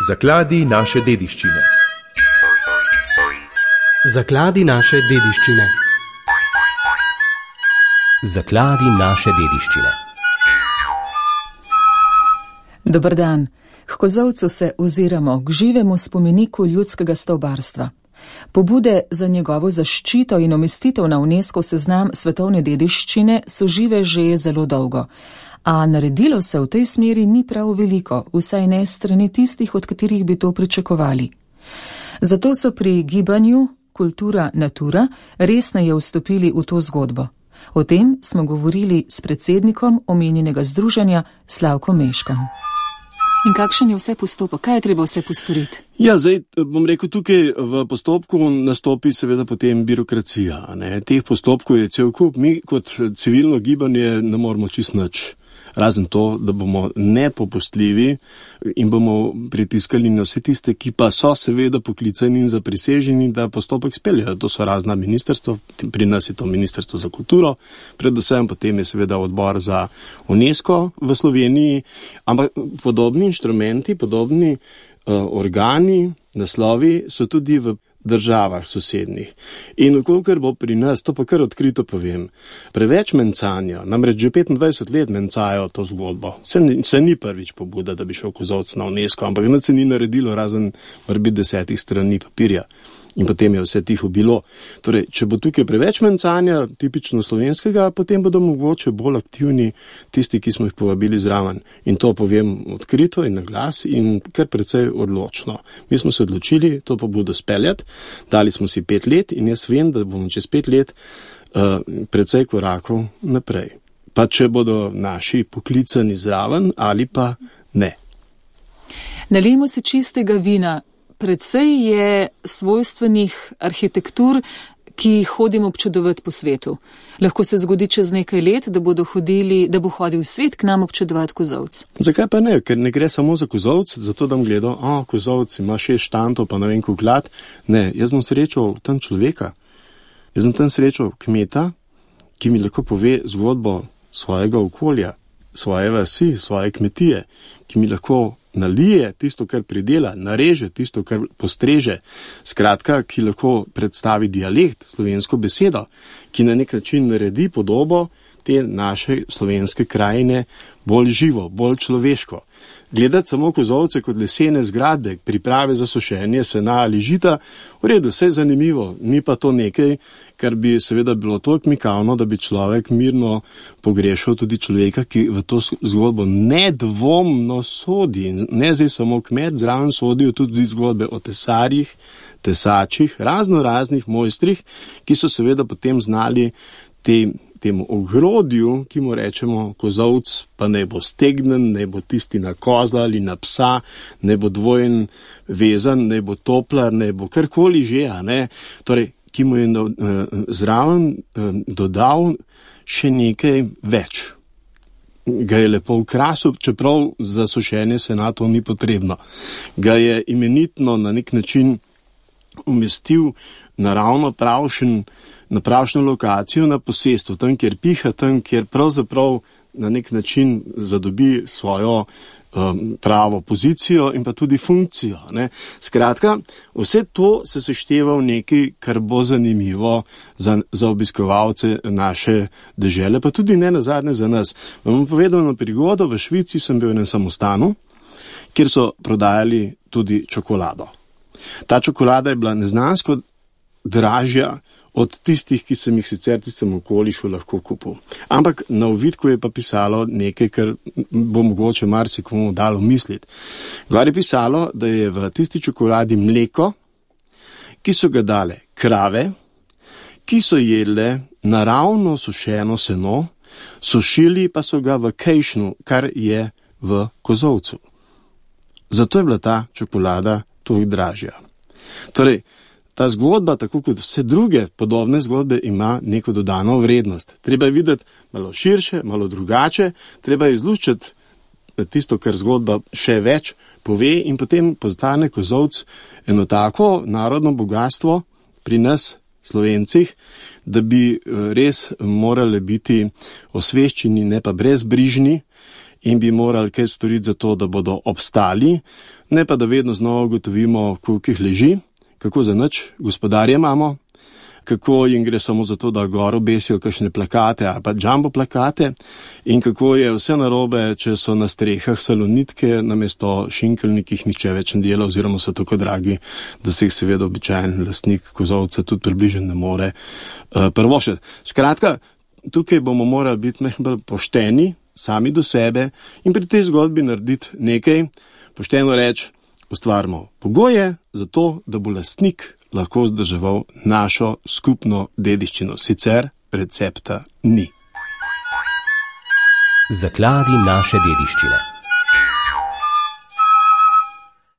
Zakladi naše dediščine. Zakladi naše dediščine. Zakladi naše dediščine. Dober dan. K kozolcu se oziramo k živemu spomeniku ljudskega stavbarstva. Pobude za njegovo zaščito in umestitev na UNESCO seznam svetovne dediščine so žive že zelo dolgo. A naredilo se v tej smeri ni prav veliko, vsaj ne strani tistih, od katerih bi to pričakovali. Zato so pri gibanju Kultura Natura resneje vstopili v to zgodbo. O tem smo govorili s predsednikom omenjenega združenja Slavkom Meškom. In kakšen je vse postopek? Kaj je treba vse postoriti? Ja, zdaj bom rekel, tukaj v postopku nastopi seveda potem birokracija. Teh postopkov je cel kup. Mi kot civilno gibanje ne moramo čist nič. Razen to, da bomo nepopustljivi in bomo pritiskali na vse tiste, ki pa so seveda poklicani in zapriseženi, da postopek speljajo. To so razna ministrstva, pri nas je to Ministrstvo za kulturo, predvsem potem je seveda odbor za UNESCO v Sloveniji, ampak podobni inštrumenti, podobni organi, naslovi so tudi v državah sosednjih. In kolikor bo pri nas, to pa kar odkrito povem, preveč mencanja, namreč že 25 let mencajo to zgodbo. Se ni prvič pobuda, da bi šel kozolc na UNESCO, ampak nič se ni naredilo razen morbi 10 strani papirja. In potem je vse tiho bilo. Torej, če bo tukaj preveč mencanja, tipično slovenskega, potem bodo mogoče bolj aktivni tisti, ki smo jih povabili zraven. In to povem odkrito in na glas in kar precej odločno. Mi smo se odločili to pobudo speljati, dali smo si 5 let in jaz vem, da bomo čez 5 let precej korakov naprej. Pa če bodo naši poklicani zraven ali pa ne. Nalijemo si čistega vina. Predvsej je svojstvenih arhitektur, ki jih hodimo občudovati po svetu. Lahko se zgodi čez nekaj let, da bo hodil svet k nam občudovati kozolc. Zakaj pa ne? Ker ne gre samo za kozolc, zato da bom gledal, kozolc ima 6 štantov, pa ne vem koliko glad. Ne, jaz bom srečal tam človeka. Jaz bom tam srečal kmeta, ki mi lahko pove zgodbo svojega okolja, svoje vasi, svoje kmetije, ki mi lahko nalije tisto, kar pridela, nareže tisto, kar postreže, skratka, ki lahko predstavi dialekt, slovensko besedo, ki na nek način naredi podobo te naše slovenske krajine bolj živo, bolj človeško. Gledati samo kozolce kot lesene zgradbe, priprave za sušenje sena ali žita, v redu, vse je zanimivo, ni pa to nekaj, kar bi seveda bilo toliko mikavno, da bi človek mirno pogrešal tudi človeka, ki v to zgodbo nedvomno sodi. Ne zdaj samo kmet, zraven sodijo tudi zgodbe o tesarjih, tesačih, raznih mojstrih, ki so seveda potem znali temu ogrodju, ki mu rečemo kozolc, pa ne bo stegnen, ne bo tisti na kozla ali na psa, ne bo dvojen vezan, ne bo toplar, ne bo karkoli že, torej, ki mu je zraven dodal še nekaj več. Ga je lepo ukrasil, čeprav za sušenje sena to ni potrebno. Ga je imenitno na nek način umestil naravno na pravšno lokacijo na posestvu, tam, kjer piha, tam, kjer pravzaprav na nek način zadobi svojo pravo pozicijo in pa tudi funkcijo. Skratka, vse to se sešteva v nekaj, kar bo zanimivo za obiskovalce naše dežele, pa tudi ne nazadnje za nas. Vam bom povedal eno prigodo, v Švici sem bil v enem samostanu, kjer so prodajali tudi čokolado. Ta čokolada je bila neznansko dražja od tistih, ki sem jih sicer tistem okolišu lahko kupil. Ampak na ovitku je pa pisalo nekaj, kar bo mogoče marsikomu dalo misliti. Gor je pisalo, da je v tisti čokoladi mleko, ki so ga dale krave, ki so jedle naravno sušeno seno, sušili pa so ga v kejšnu, kar je v kozolcu. Zato je bila ta čokolada toliko dražja. Torej, ta zgodba, tako kot vse druge podobne zgodbe, ima neko dodano vrednost. Treba je videti malo širše, malo drugače, treba je izluščiti tisto, kar zgodba še več pove in potem postane kozolc eno tako narodno bogatstvo pri nas, Slovencih, da bi res morali biti osveščeni, ne pa brezbrižni in bi morali kaj storiti za to, da bodo obstali, ne pa da vedno znova ugotovimo, koliko jih leži, kako za nič gospodarje imamo, kako jim gre samo za to, da gor obesijo kakšne plakate ali pa jumbo plakate in kako je vse narobe, če so na strehah salonitke namesto šinkelni, ki jih nihče več ne dela oziroma so tako dragi, da se jih seveda običajen lastnik kozolca tudi približno ne more prvošiti. Skratka, tukaj bomo morali biti bolj pošteni sami do sebe in pri tej zgodbi narediti nekaj, pošteno reči, ustvarimo pogoje za to, da bo lastnik lahko vzdrževal našo skupno dediščino. Sicer recepta ni. Zakladi naše dediščine.